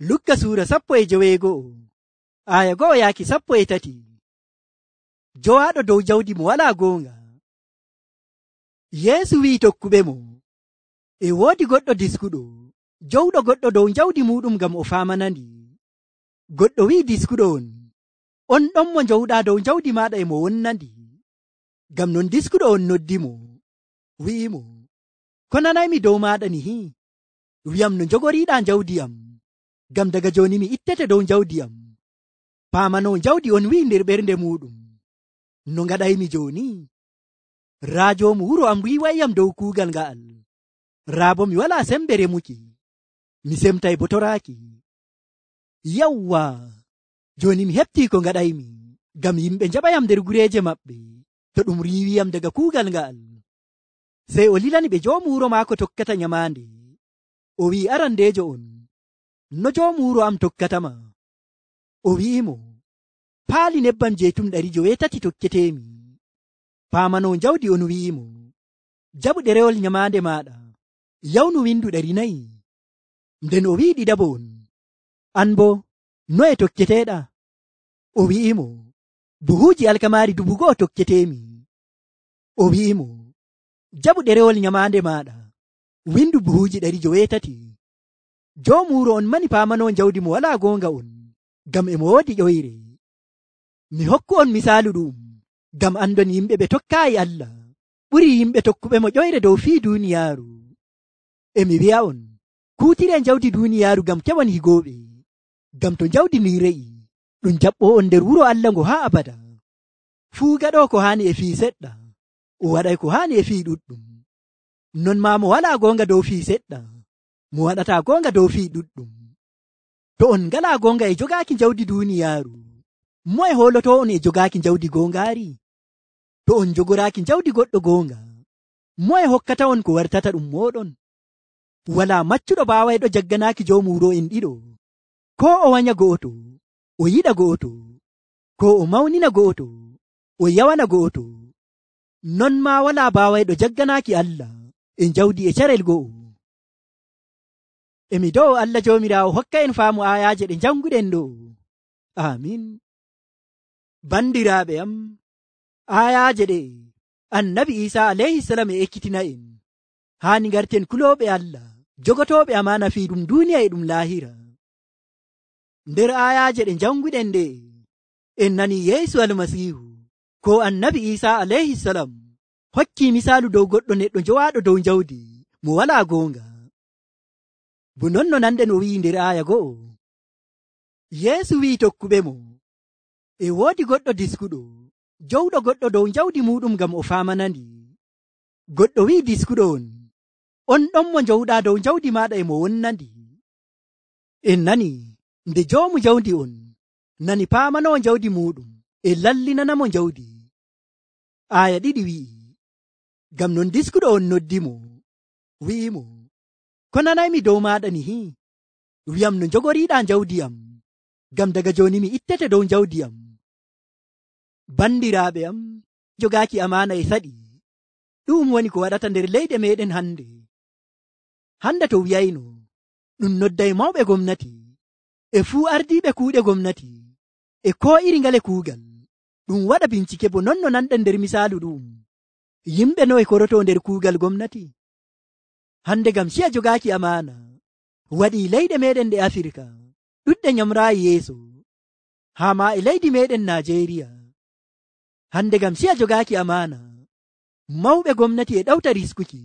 Lukka suura 12 aya 1 yaaki 13. Jowaɗo dow jawdi mo walaa goonga. Yeesu wi'i tokkuɓemo, e woodi goɗɗo diskuɗo jowɗo goɗɗo dow jawdi muɗum ngam o faamanandi. Goɗɗo wi'i diskuɗo on ɗon mo jowɗaa dow jawdi maaɗa e mo wonnandi. Ngam non diskuɗo on noddimo, wi'imo, ko nanaymi dow maaɗa nihi? Wi'am no jogoriiɗaa jawdi am, ngam daga jooni mi ittete dow jawdi am. Paamanoo jawdi on wi'i nder ɓernde muɗum, no ngaɗaymi jooni? Raa joomu wuro am wiiwayyam dow kuugal nga'al. Raa bo mi walaa sembe remuki, mi semtay bo toraaki. Yawwa, jooni mi heɓtii ko ngaɗaymi, ngam yimɓe njaɓayam nder gureeje maɓɓe to ɗum riiwiyam daga kuugal nga'al. Sey o lilani ɓe joomu wuro maako tokkata nyamaande. O wi'i arandeejo on, no joomu wuro am tokkatama? O wi'imo, paali nebbam jeetum 800 tokketeemi. Paamanoo jawdi on wi'imo, jaɓu ɗerewol nyamaande maaɗa, yawnu windu 400. Nden o wi'i ɗiɗaɓo on, an bo noye tokketeeɗa? O wi'imo, buhuuji alkamaari 1,000 tokketeemi. O wi'imo, jaɓu ɗerewol nyamaande maaɗa, windu buhuuji 800. Joomu wuro on mani paamanoo jawdi mo walaa goonga on, ngam e mo woodi ƴoyre. Mi hokku on misaalu ɗum, ngam andon yimɓe ɓe tokkaayi Allah ɓuri yimɓe tokkuɓe mo ƴoyre dow fii duuniyaaru. E mi wi'a on, kuutiree jawdi duuniyaaru ngam keɓon higooɓe, ngam to jawdi ndin re'i ɗum jaɓɓoo on nder wuro Allah ngo haa abada. Fuu gaɗoo ko haani e fii seɗɗa, o waɗay ko haani e fii ɗuɗɗum. Non maa mo walaa goonga dow fii seɗɗa, mo waɗataa goonga dow fii ɗuɗɗum. To on ngalaa goonga e jogaaki jawdi duuniyaaru, moye hoolotoo on e jogaaki jawdi goongaari? To on jogoraaki jawdi goɗɗo goonga, moye hokkata on ko wartata ɗum mooɗon? Walaa maccuɗo baawayɗo jagganaaki joomu wuro en ɗiɗo, koo o wanya go'oto, o yiɗa go'oto, koo o mawnina go'oto, o yawana go'oto. Non maa walaa baawayɗo jagganaaki Allah e jawdi e carel go'o. Emi do'o Allah Joomiraawo hokka en faamu aayaaje ɗe janguɗen ɗo. Amin. Bandiraaɓe am, aayaaje ɗe Annabi Iisaa alayhisalam e ekkitina en. Haani ngarten kulooɓe Allah, jogotooɓe amaana fii ɗum duuniya e ɗum laahira. Nder aayaaje ɗe janguɗen ɗe, en nani Yeesu Almasiihu ko Annabi Iisaa alayhisalam hokkii misaalu dow goɗɗo neɗɗo jowaaɗo dow jawdi mo walaa goonga. Bo non no nanɗen o wi'i nder aaya 1. Yeesu wi'i tokkuɓemo, e woodi goɗɗo diskuɗo jowɗo goɗɗo dow jawdi muɗum ngam o faamanandi. Goɗɗo wi'i diskuɗo on ɗon mo jowɗaa dow jawdi maaɗa e mo wonnandi. En nani nde joomu jawdi on nani paamanoo jawdi muɗum e lallinanamo jawdi. Aaya 2 wi'i, ngam non diskuɗo on noddimo, wi'imo, ko nanaymi dow maaɗa nihi? Wi'am no jogoriiɗaa jawdi am, ngam daga jooni mi ittete dow jawdi am. Bandiraaɓe am, jogaaki amaana e saɗi, ɗum woni ko waɗata nder leyɗe meɗen hande. Hande to wiyayno ɗum nodday mawɓe gomnati e fuu ardiiɓe kuuɗe gomnati e koo iri ngale kuugal, ɗum waɗa bincike bo non no nanɗen nder misaalu ɗum. Yimɓe noye korotoo nder kuugal gomnati? Hande ngam ciya jogaaki amaana waɗii leyɗe meɗen ɗe Afirka ɗuɗɗe nyamraayi yeeso, haa ma e leydi meɗen Najeriya. Hande ngam ciya jogaaki amaana, mawɓe gomnati e ɗawta riskuki,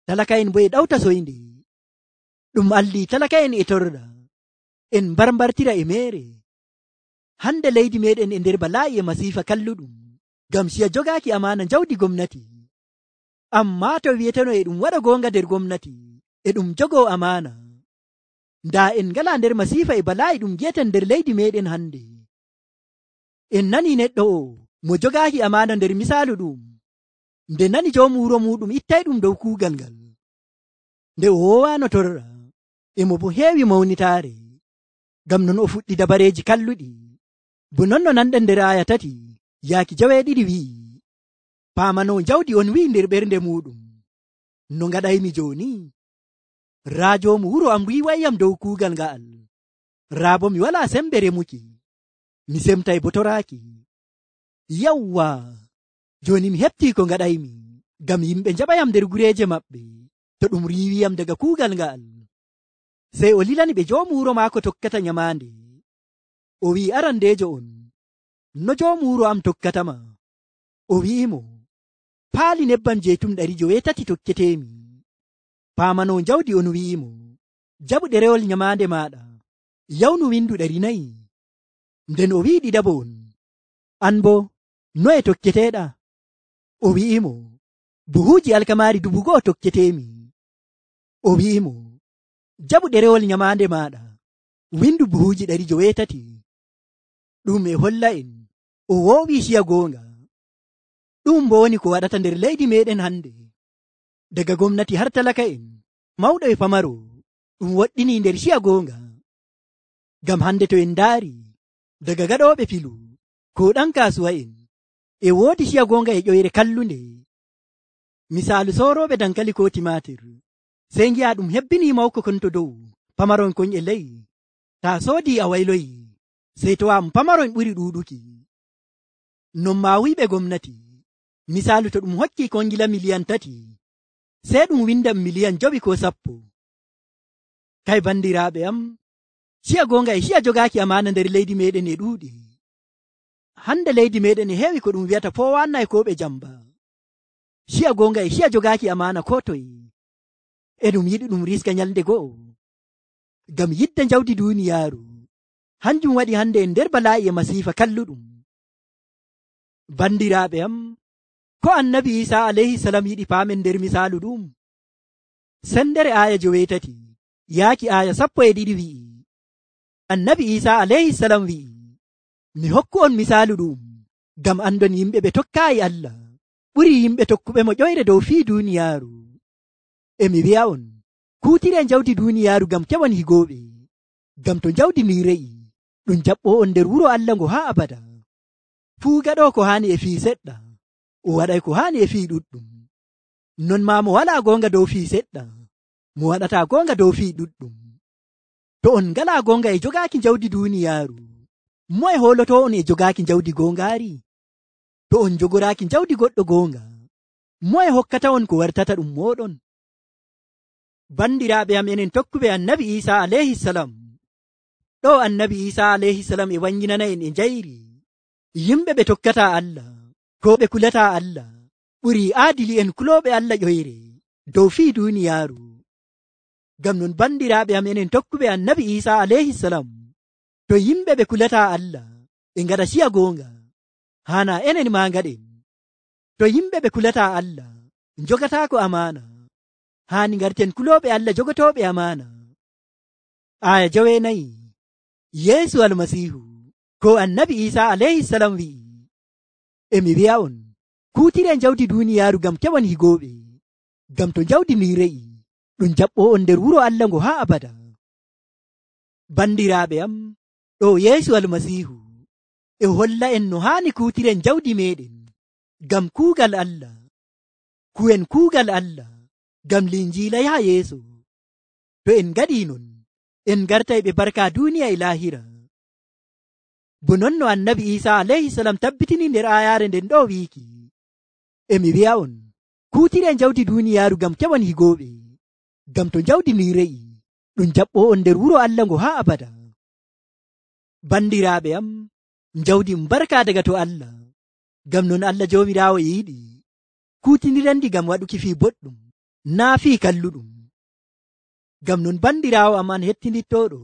talaka'en bo e ɗawta soynde. Ɗum allii talaka'en e torɗa, en mbarmbartira e meere. Hande leydi meɗen e nder balaa'i e masiifa kalluɗum ngam ciya jogaaki amaana jawdi gomnati. Ammaa to wiyeteno e ɗum waɗa goonga nder gomnati e ɗum jogoo amaana, ndaa en ngalaa nder masiifa e balaa'i ɗum gi'eten nder leydi meɗen hande. En nani neɗɗo o mo jogaaki amaana nder misaalu ɗum, nde nani joomu wuro muɗum ittay ɗum dow kuugal ngal, nde o woowaano torra, emo bo heewi mawnitaare, ngam non o fuɗɗi dabareeji kalluɗi. Bo non no nanɗen nder aaya 3 yaaki 2 wi'i, paamanoo jawdi on wi'i nder ɓernde muɗum, no ngaɗaymi jooni? Raa joomu wuro am wiiwayyam dow kuugal nga'al, raabo mi wala sembe remuki, mi semtay bo toraaki. Yawwa, joni mi hefti ko ngaɗaymi, ngam yimɓe jaɓayam nder gureeje maɓɓe to ɗum riiwiyam daga kuugal nga'al. Sey o lilani ɓe joomu wuro maako tokkata nyamaande. O wi'i arandeejo on, no joomu wuro am tokkatama? O wi'imo, paali nebbam jeytum 300 tokketeemi. Paamano jawdi on wi'imo, jaɓu ɗerewol nyamaande maaɗa, yawnu windu 400. Nden o wi'i ɗiɗaɓo on, an bo noye tokketeeɗa? O wi'imo, buhuuji alkamaari 1,000 tokketeemi. O wi'imo, jaɓu ɗerewol nyamaande maaɗa, windu buhuuji 800. ɗum e holla en o woowi ciya goonga. ɗum bo woni ko waɗata nder leydi meɗen hande, daga gomnati har talaka en, mawɗo e famaro, ɗum woɗɗini nder ciya goonga. Ngam hande to en ndaari daga gaɗooɓe filu ko ɗan kasuwa en, e woodi ciya goonga e ƴoyre kallunde. Misaalu soorooɓe dankali ko timatir, sey ngi'a ɗum hebbini mawko kon to dow, pamaron kon e ley. Ta soodi a wayloyi, sey to am pamaron ɓuri ɗuuɗuki. Non ma wiɓe gomnati, misaalu to ɗum hokki kongila miliyan 3, sey ɗum windan miliyan 5 ko 10. Kay bandiraaɓe am, ciya goonga e ciya jogaaki amaana nder leydi meɗen e ɗuuɗi. Hande leydi meɗen e heewi ko ɗum wi'ata 419 ko ɓe jamba. Ciya goonga e ciya jogaaki amaana ko toye, e ɗum yiɗi ɗum riska nyalde go'o. Ngam yidde jawdi duuniyaaru, hanjum waɗi hande en nder balaa'i e masiifa kalluɗum. Bandiraaɓe am, ko annabi Isa alayhi salam yiɗi paamen nder misaalu ɗum. Sendere aya 9 yaaki aya 12 wi'i, annabi Isa alayhi salam wi'i, mi hokku on misaalu ɗum, ngam andon yimɓe ɓe tokkaayi Allah ɓuri yimɓe tokkuɓe mo ƴoyre dow fii duuniyaaru. E mi wi'a on, kuutire jawdi duuniyaaru ngam keɓon higooɓe, ngam to jawdi mi re'i ɗum jaɓɓo on nder wuro Allah ngo haa abada. Fuu gaɗo ko haani e fii seɗɗa, o waɗay ko haani e fii ɗuɗɗum. Non ma mo walaa goonga dow fii seɗɗa, mo waɗataa goonga dow fii ɗuɗɗum. To on ngalaa goonga e jogaaki jawdi duuniyaaru, moye hooloto on e jogaaki jawdi goongaari? To on jogoraaki jawdi goɗɗo goonga, moye hokkata on ko wartata ɗum mooɗon? Bandiraaɓe am enen tokkuɓe annabi Isa alayhi salam, ɗo annabi Isa alayhi salam e wanginana en e njayri yimɓe ɓe tokkata Allah ko ɓe kulata Allah ɓuri aadili en kulooɓe Allah ƴoyre dow fii duuniyaaru. Ngam non bandiraaɓe am enen tokkuɓe annabi Isa alayhi salam, to yimɓe ɓe kulata Allah ɓe ngaɗa ciya goonga, hana enen ma ngaɗen. To yimɓe ɓe kulata Allah jogataako amaana, hani garten kulooɓe Allah jogotooɓe amaana. Aya 9, Yeesu almasiihu ko annabi Isa alayhi salam wi'i, e mi wi'a on, kuutire jawdi duuniyaaru ngam keɓon higooɓe, ngam to jawdi mi re'i ɗum jaɓɓo on nder wuro Allah ngo haa abada. Bandiraaɓe am, ɗo Yeesu almasiihu e holla en no haani kuutiren jawdi meɗen ngam kuugal Allah, ku'en kuugal Allah ngam linjiila yaha yeeso. To en ngaɗii non, en gartay ɓe barka duuniya e laahira. Bo non no annabi Isa alayhi salam tabbitini nder ayaare nden ɗo wiiki, e mi wi'a on, kuutiren jawdi duuniyaaru ngam keɓon higooɓe, ngam to jawdi mi re'i ɗum jaɓɓo on nder wuro Allah ngo haa abada. Bandiraaɓe am, jawdi barka daga to Allah, ngam non Allah joomiraawo yiɗi kuutinirandi ngam waɗuki fii boɗɗum, naa fii kalluɗum. Ngam non bandiraawo am an hettinittooɗo,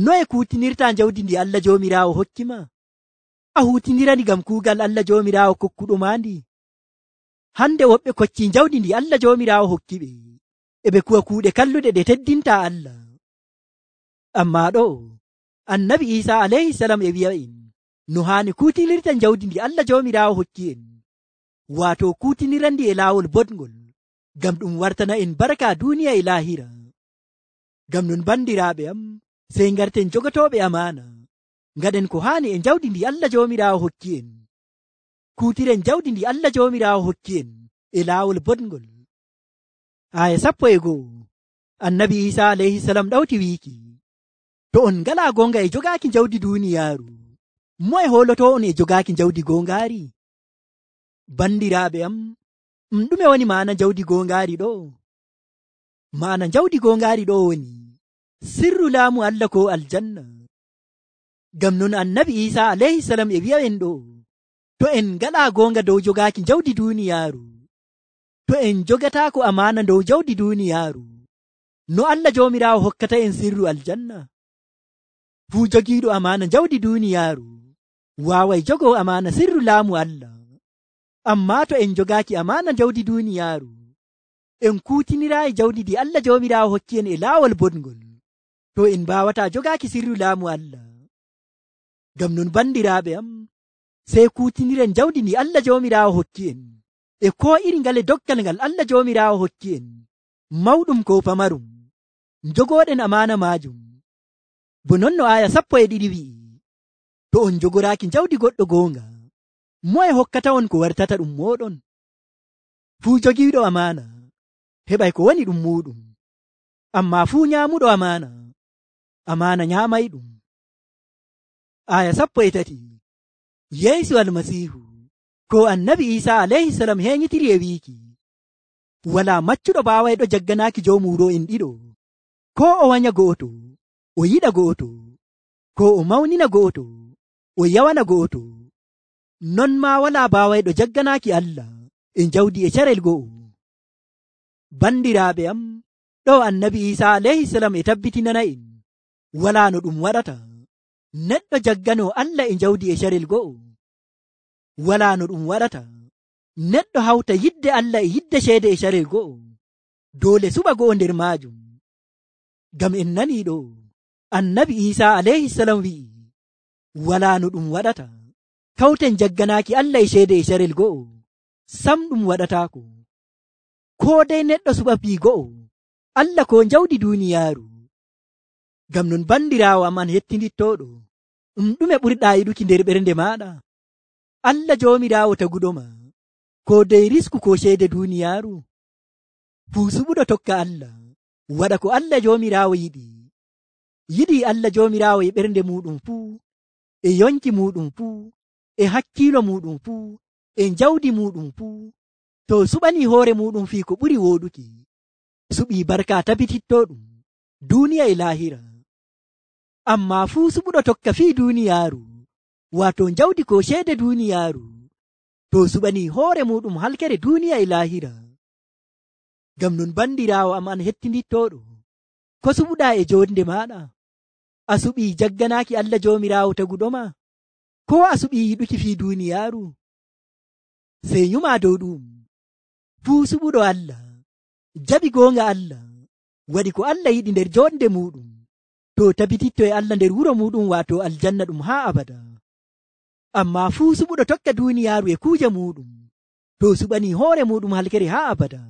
noye kuutinirta jawdi ndi Allah joomiraawo hokkima? A huutinirani ngam kuugal Allah joomiraawo kokkuɗo ma ndi? Hande woɓɓe kocci jawdi ndi Allah joomiraawo hokkiɓe, e ɓe kuwa kuuɗe kalluɗe ɗe teddinta Allah. Amma ɗo annabi Isa alayhi salam e wi'a en no haani kuutinirta jawdi ndi Allah joomiraawo hokki en, waato kuutinirandi e laawol boɗngol, ngam ɗum wartana en barka duuniya e laahira. Ngam non bandiraaɓe am, sey ngarten jogotooɓe amaana, ngaɗen ko haani e jawdi ndi Allah joomiraawo hokki en, kuutiren jawdi ndi Allah joomiraawo hokki en e laawol boɗngol. Aya 11, annabi Isa alayhi salam ɗawti wiiki, To on ngalaa goonga e jogaaki jawdi duuniyaaru, moye hooloto on e jogaaki jawdi goongaari? Bandiraaɓe am, ɗume woni maana jawdi goongaari ɗo? Maana jawdi goongaari ɗo woni sirru laamu Allah ko aljanna. Ngam non annabi Iisaa alayhisalam e wi'a'en ɗo, to en ngalaa goonga dow jogaaki jawdi duuniyaaru, to en jogataako amaana dow jawdi duuniyaaru, no Allah Joomiraawo hokkata en sirru aljanna? Fuu jogiiɗo amaana jawdi duuniyaaru waaway jogoo amaana sirru laamu Allah. Ammaa to en jogaaki amaana jawdi duuniyaaru, en kuutiniraayi jawdi ndi Allah Joomiraawo hokki en e laawol boɗngol, to en mbaawataa jogaaki sirru laamu Allah. Ngam non bandiraaɓe am, sey kuutiniren jawdi ndi Allah Joomiraawo hokki en e koo iri ngale doggal ngal Allah Joomiraawo hokki en, mawɗum ko pamarum, njogooɗen amaana maajum. Bo non no aaya 12 wi'i, to on njogoraaki jawdi goɗɗo goonga, moye hokkata on ko wartata ɗum mooɗon? Fuu jogiiɗo amaana heɓay ko woni ɗum muuɗum, ammaa fuu nyaamuɗo amaana nyaamayɗum. Aaya 13 Yeesu Almasiihu ko annabi Iisaa alayhisalam heeñitiri e wiiki, walaa maccuɗo baawayɗo jagganaaki joomuuro'en ɗiɗo, ko o wanya go'oto o yiɗa go'oto, ko o mawnina go'oto o yawana go'oto. Non maa walaa baawayɗo jagganaaki Allah e jawdi e carel go'o. Bandiraaɓe am, ɗo annabi Iisaa alayhisalam e tabbitinana en walaa no ɗum waɗata neɗɗo jagganoo Allah e jawdi e carel go'o. Walaa no ɗum waɗata neɗɗo hawta yidde Allah e yidde ceede e carel go'o. Doole suɓa go'o nder maajum. Ngam en nanii ɗo annabi Iisaa alayhisalam wi'i, walaa no ɗum waɗata kawten jagganaaki Allah e ceede e carel go'o. Sam ɗum waɗataako. Koo dey neɗɗo suɓa fii go'o, Allah ko jawdi duuniyaaru. Ngam non bandiraawo am an hettindittooɗo, ɗume ɓurɗaa yiɗuki nder ɓernde maaɗa? Allah Joomiraawo taguɗoma, ko dey risku ko ceede duuniyaaru? Fuu suɓuɗo tokka Allah, waɗa ko Allah Joomiraawo yiɗi. Yiɗii Allah Joomiraawo e ɓernde muɗum fuu, e yonki muɗum fuu, e hakkiilo muɗum fuu, e jawdi muɗum fuu. To suɓanii hoore muɗum fii ko ɓuri wooɗuki, suɓii barka tabitittoɗum duuniya e laahira. Ammaa fuu suɓuɗo tokka fii duuniyaaru, waato jawdi ko ceede duuniyaaru, to suɓanii hoore muɗum halkere duuniya e laahira. Ngam non bandiraawo am an hettindittoɗo, ko suɓuɗaa e joonde maaɗa? A suɓii jagganaaki Allah Joomiraawo taguɗoma, ko a suɓii yiɗuki fii duuniyaaru? Sey nyumaa dow ɗum, fuu suɓuɗo Allah jaɓi goonga Allah, waɗi ko Allah yiɗi nder joonde muɗum, to tabititto e Allah nder wuro muɗum, waato aljanna ɗum haa abada. Ammaa fuu suɓuɗo tokka duuniyaaru e kuuje muɗum, to suɓanii hoore muɗum halkere haa abada.